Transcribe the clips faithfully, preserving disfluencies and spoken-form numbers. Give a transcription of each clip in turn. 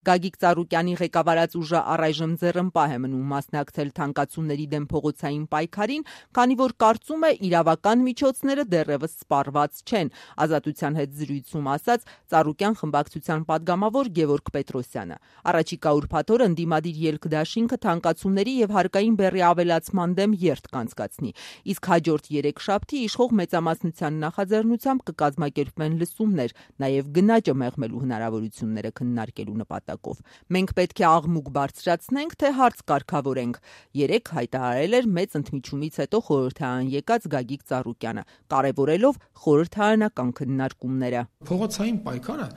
Գագիկ Ծառուկյանի ղեկավարած ուժը առայժմ ձեռնպահ է մնում մասնակցել թանկացումների դեմ փողոցային պայքարին, քանի որ կարծում է իրավական միջոցները դեռևս սպառված չեն, Ազատության հետ զրույցում ասաց Ծառուկյան խմբակցության падգամավոր Գևորգ Պետրոսյանը։ Առաջիկա ուրբաթ օրը ընդդիմադիր ելք դաշինքը թանկացումների եւ հարկային բեռի ավելացման դեմ երթ կանցկացնի, իսկ հաջորդ երեքշաբթի իշխող մեծամասնության նախաձեռնությամբ կկազմակերպվեն լսումներ, նաեւ գնաճը մեղմելու հնարավորությունները քննարկելու նպատակով։ Մենք պետք է աղմուկ բարձրացնենք, թե հարց կարգավորենք, երեկ հայտարարել էր մեծ ընդմիջումից հետո խորհրդարան եկած Գագիկ Ծառուկյանը, կարևորելով խորհրդարանական քննարկումները։ Փողոցային պայքարը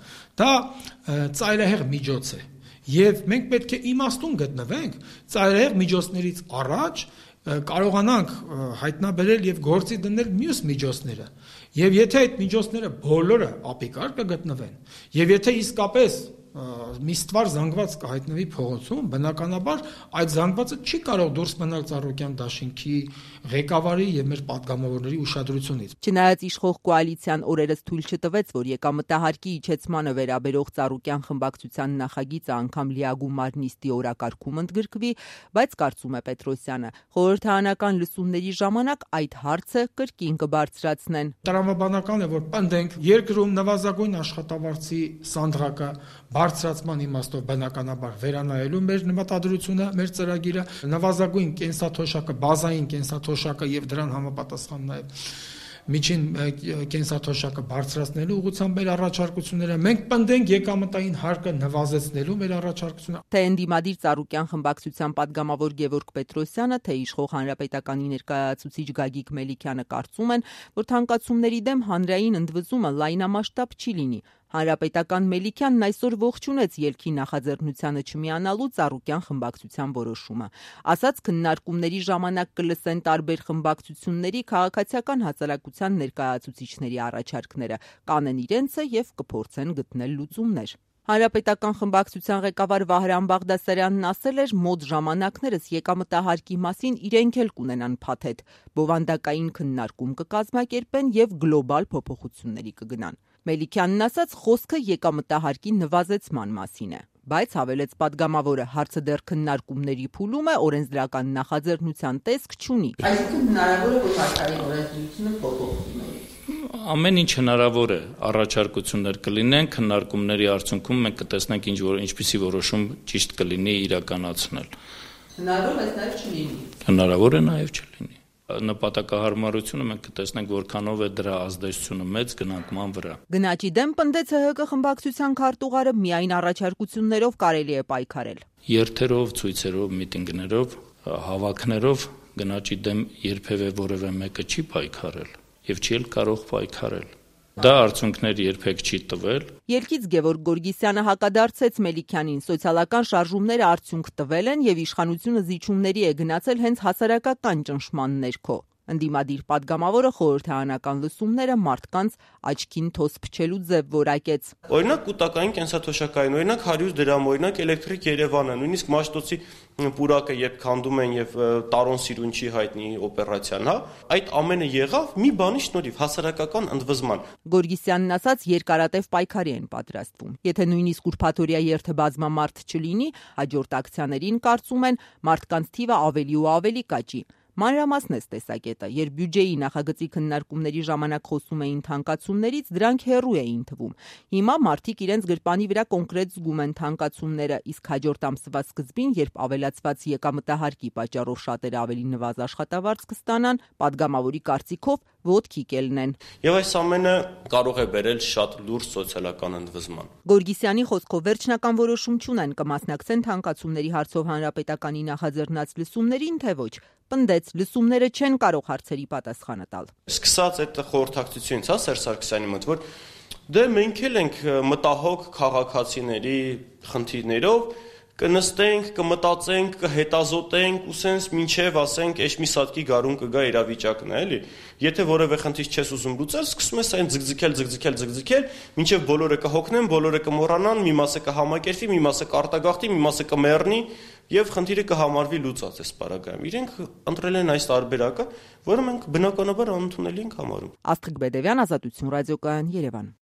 դա ծայրահեղ միջոց է, եւ մենք պետք է իմաստուն գտնվենք ծայրահեղ միջոցներից առաջ կարողանանք հայտնաբերել եւ գործի դնել մյուս միջոցները։ Եվ եթե այդ միջոցները բոլորը ապիկար կգտնվեն, եւ եթե իսկապես մի ստվար զանգված կհայտնվի փողոցում, բնականաբար այդ զանգվածը չի կարող դուրս մնալ Ծառուկյան դաշինքի ղեկավարի եւ մեր падգամավորների ուշադրությունից։ Չնայած իշխող կոալիցիան օրերս թույլ չտվեց, որ եկամտահարկի իջեցմանը վերաբերող Ծառուկյան խմբակցության նախագիծը անգամ լիագումար նիստի օրակարգում ընդգրկվի, բայց կարծում է Պետրոսյանը, խորհրդարանական լսումների ժամանակ այդ հարցը կրկին կբարձրացնեն։ Տրամաբանական է, որ պնդենք երկրում նվազագույն աշխատավարձի սանդղակը բարձրացման իմաստով բնականաբար վերանայելու մեր նպատադրությունը, մեր ծրագիրը, նվազագույն կենսաթոշակը, բազային կենսաթոշակը եւ դրան համապատասխան նաեւ միջին կենսաթոշակը բարձրացնելու ուղղությամբ մեր առաջարկությունները, մենք պնդենք եկամտային հարկը նվազեցնելու մեր առաջարկությունը։ Թե ընդդիմադիր Ծառուկյան խմբակցության падգամավոր Գևորգ Պետրոսյանը, թե իշխող Հանրապետականի ներկայացուցիչ Գագիկ Մելիքյանը կարծում են, որ թանկացումների դեմ հանրային ընդվզումը լայնամասշտաբ չի լինի։ Հանրապետական Մելիքյանն այսօր ողջունեց ելքի նախաձեռնությանը չմիանալու Ծառուկյան խմբակցության որոշումը։ Ասաց, քննարկումների ժամանակ կլսեն տարբեր խմբակցությունների քաղաքացիական հասարակության ներկայացուցիչների առաջարկները, կանեն իրենցը եւ կփորձեն գտնել լուծումներ։ Հանրապետական խմբակցության ղեկավար Վահրամ Բաղդասարյանն ասել էր, մոտ ժամանակներս եկամտահարկի մասին իրենք էլ կունենան փաթեթ, բովանդակային քննարկում կկազմակերպեն եւ գլոբալ փոփոխությունների կգնան։ Մելիքյանն ասաց, խոսքը եկամտահարկի նվազեցման մասին է, բայց հավելեց падգամավորը, հարցը դեռ քննարկումների փուլում է, օրենսդրական նախաձեռնության տեսք չունի։ Այսինքն հնարավոր է, որ հարկային օրենսդրությունը փոփոխվի։ Ամեն ինչ հնարավոր է, առաջարկություններ կլինեն, քննարկումների արդյունքում մենք կտեսնենք ինչ որ ինչպիսի որոշում ճիշտ կլինի իրականացնել։ Հնարավոր է նաև չլինի։ Հնարավոր է նաև չլինի։ Նպատակահարմարությունը մենք կտեսնենք որքանով է դրա ազդեցությունը մեծ գնանկման վրա։ Գնաճի դեմ պնդեց ՀՀԿ խմբակցության քարտուղարը, միայն առաջարկություններով կարելի է պայքարել։ Երթերով, ցույցերով, միտինգներով, հավաքներով գնաճի դեմ երբևէ որևէ մեկը չի պայքարել եւ չի էլ կարող պայքարել։ Դա արդյունքներ երբեք չի տվել։ Ելքից Գևորգ Գորգիսյանը հակադարձեց Մելիքյանին, սոցիալական շարժումները արդյունք տվել են եւ իշխանությունը զիջումների է գնացել հենց հասարակական ճնշման ներքո։ Ընդդիմադիր падգամավորը խորհրդարանական լսումները մարդկանց աչքին թոս փչելու ձև որակեց։ Օրինակ կൂട്ടակային կենսաթոշակային, օրինակ հարյուր դրամ, օրինակ էլեկտրիկ Երևանը, նույնիսկ Մաշտոցի պուրակը երբ քանդում են եւ Տարոն Սիրունչի հայտնի օպերացիան, հա, այդ ամենը եղավ մի բանի շնորհիվ հասարակական ընդվզման։ Գորգիսյանն ասաց, երկարատև պայքարի են պատրաստվում։ Եթե նույնիսկ ուրբաթօրյա երթը բազմամարդ չլինի, հաջորդ ակցիաներին կարծում են մարդկանց թիվը ավելի ու ավելի կաճի։ Մանրամասն է տեսակետը, երբ բյուջեի նախագծի քննարկումների ժամանակ խոսում էին թանկացումներից, դրանք հեռու էին թվում։ Հիմա մարդիկ իրենց գրպանի վրա կոնկրետ զգում են թանկացումները, իսկ հաջորդ ամսվա սկզբին, երբ ավելացված եկամտահարկի պատճառով շատերը ավելի նվազ աշխատավարձ կստանան, падգամավորի կարծիքով ոտքի կելնեն։ Եվ այս ամենը կարող է բերել շատ լուրջ սոցիալական ընդվզման։ Գորգիսյանի խոսքով վերջնական որոշում չունեն, կմասնակցեն թանկացումների հարցով հանրապետականի նախաձեռնած լսումներին, թե ոչ։ Պնդեց, լսումները չեն կարող հարցերի պատասխանը տալ։ Սկսած այդ խորհրդակցությունից, հա, Սերժ Սարգսյանի մոտ, որ դե մենք էլ ենք մտահոգ քաղաքացիների խնդիրներով, կնստենք, կմտածենք, կհետազոտենք, ու սենց մինչև ասենք, էջ մի սատկի գարուն կգա իրավիճակն է, էլի։ Եթե որևէ խնդիր չես ուզում լուծել, սկսում ես այն ձգձգել, ձգձգել, ձգձգել, մինչև բոլորը կհոգնեն, բոլորը կմոռանան, մի մասը կհամակերպվի, մի մասը կարտագաղթի, մի մասը կմեռնի, եւ խնդիրը կհամարվի լուծած այս պարագայում։ Իրենք ընտրել են այս տարբերակը, որը մենք բնականաբար անընդունելի ենք համարում։ Աստղիկ Բեդևյան, Ազատություն ռադիոկայան, Երևան։